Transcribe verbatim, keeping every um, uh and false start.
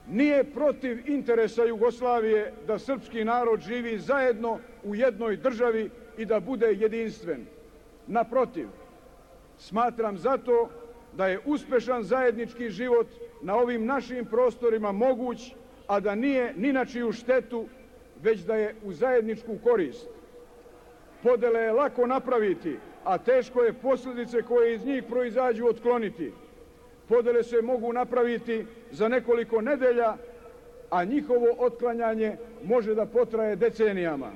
nije protiv interesa Jugoslavije da srpski narod živi zajedno u jednoj državi i da bude jedinstven. Naprotiv, smatram zato da je uspešan zajednički život na ovim našim prostorima moguć, a da nije ni na čiju štetu, već da je u zajedničku korist. Podele je lako napraviti, a teško je posljedice koje iz njih proizađu otkloniti. Podele se mogu napraviti za nekoliko nedelja, a njihovo otklanjanje može da potraje decenijama.